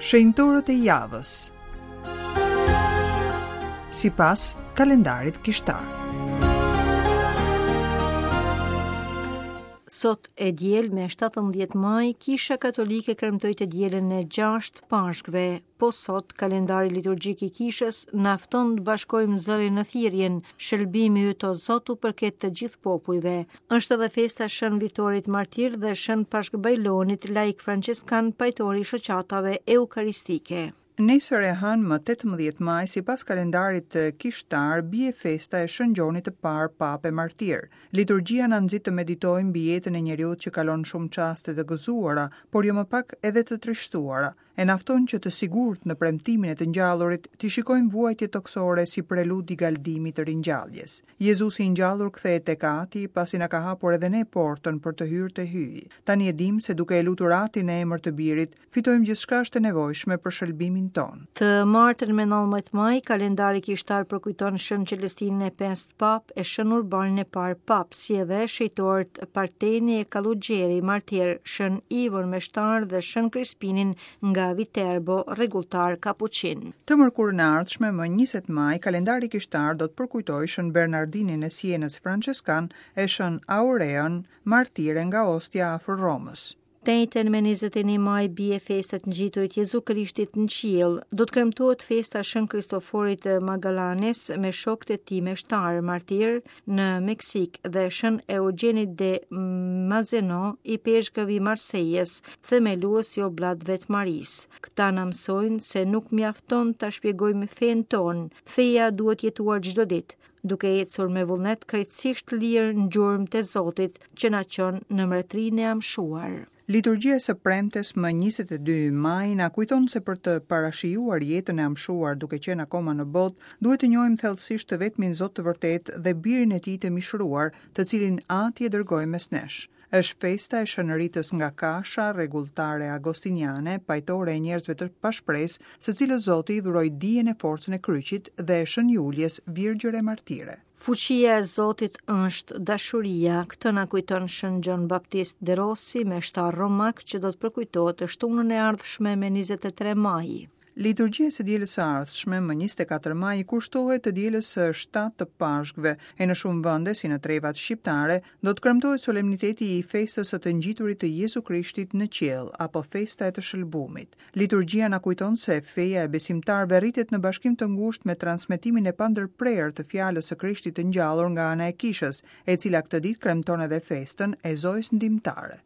Shenjtorët e javës. Sipas kalendarit kishtar. Sot e diel me 17 maj, Kisha Katolike kremtoi të dielën e 6 Pashkëve. Po sot, kalendari liturgjik i Kishës na fton të bashkojmë zërin në thirrjen, shëlbimi yt o Zot u përket të gjithë popujve. Është edhe festa e Shën Vitorit Martir dhe Shën Pashk Bajlonit, laik françeskan, pajtor i shoqatave eukaristike. Nesër e hënë më 18 maj, sipas kalendarit kishtar, bie festa e Shën Gjonit të Parë Papë e Martir. Liturgjia na nxit të meditojmë mbi jetën e njeriut që kalon shumë çaste të gëzuara, por jo më pak edhe të trishtuara. E na fton që të sigurt në premtimin e të ngjallurit, t'i shikojmë vuajtjet tokësore si prelud i galdimit të ringjalljes. Jezusi i ngjallur kthehet tek Ati, pasi na ka hapur edhe ne portën për të hyrë te Hyji. Tani e dimë se duke e lutur Atin në emër të Birit, fitojmë gjithçka është e nevojshme për shëlbimin tonë. Të martën me 19 maj, kalendari kishtar përkujton Shën Celestinin e Pestë Papë e Shën Urbanin e Parë Papë, si edhe shenjtorët Parteni e Kallugjeri, martir, Shën Ivon Meshtar dhe Shën Krispinin nga Viterbo, rregulltar kapuçin. Të mërkurën e ardhshme, më 20 maj, kalendari kishtar do të përkujtojë Shën Bernardinin e Sienës françeskan e Shën Aureën, martire nga Ostia afër Romës. Të enjten me 21 maj bie festa e të ngjiturit Jezu Krishtit në qiell. Do të kremtohet festa e Shën Kristoforit të Magallanes me shokët e tij meshtarë, martirë në Meksikë dhe Shën Eugjenit de Mazeno, ipeshkëv i Marsejës, themelues i Oblatëve të Marisë. Këta na mësojnë se nuk mjafton ta shpjegojmë fenë tonë. Feja duhet jetuar çdo ditë. duke ecur me vullnet krejtësisht të lirë në gjurmët e Zotit që na çon në mbretërinë e amshuar. Liturgjia e së premtes më 22 maj na kujton se për të parashijuar jetën e amshuar duke qenë akoma në botë, duhet të njohim thellësisht të vetmin Zot të vërtetë dhe Birin e Tij të mishëruar, të cilin Ati e dërgoi mes nesh. Është festa e Shën Ritës nga Kasha, rregulltare agostiniane, pajtore e njerëzve të pashpresë, së cilës Zoti i dhuroi dijen e forcën e kryqit dhe e Shën Juljes, virgjër e martire. Fuqia e Zotit është dashuria, këtë na kujton Shën Gjon Baptist de Rossi, meshtar romak që do të përkujtohet të shtunën e ardhshme me 23 maj. Liturgjia e së dielës së ardhshme, më 24 maj, i kushtohet të dielës së 7 të Pashkëve, e në shumë vende, si në trevat shqiptare, do të kremtohet solemniteti i festës së të ngjiturit të Jezu Krishtit në qiell apo festa e të shëlbumit. Liturgjia na kujton se feja e besimtarëve rritet në bashkim të ngushtë me transmetimin e pandërprerë të fjalës së Krishtit të ngjallur nga ana e Kishës, e cila këtë ditë kremton edhe festën e Zojës Ndihmëtare.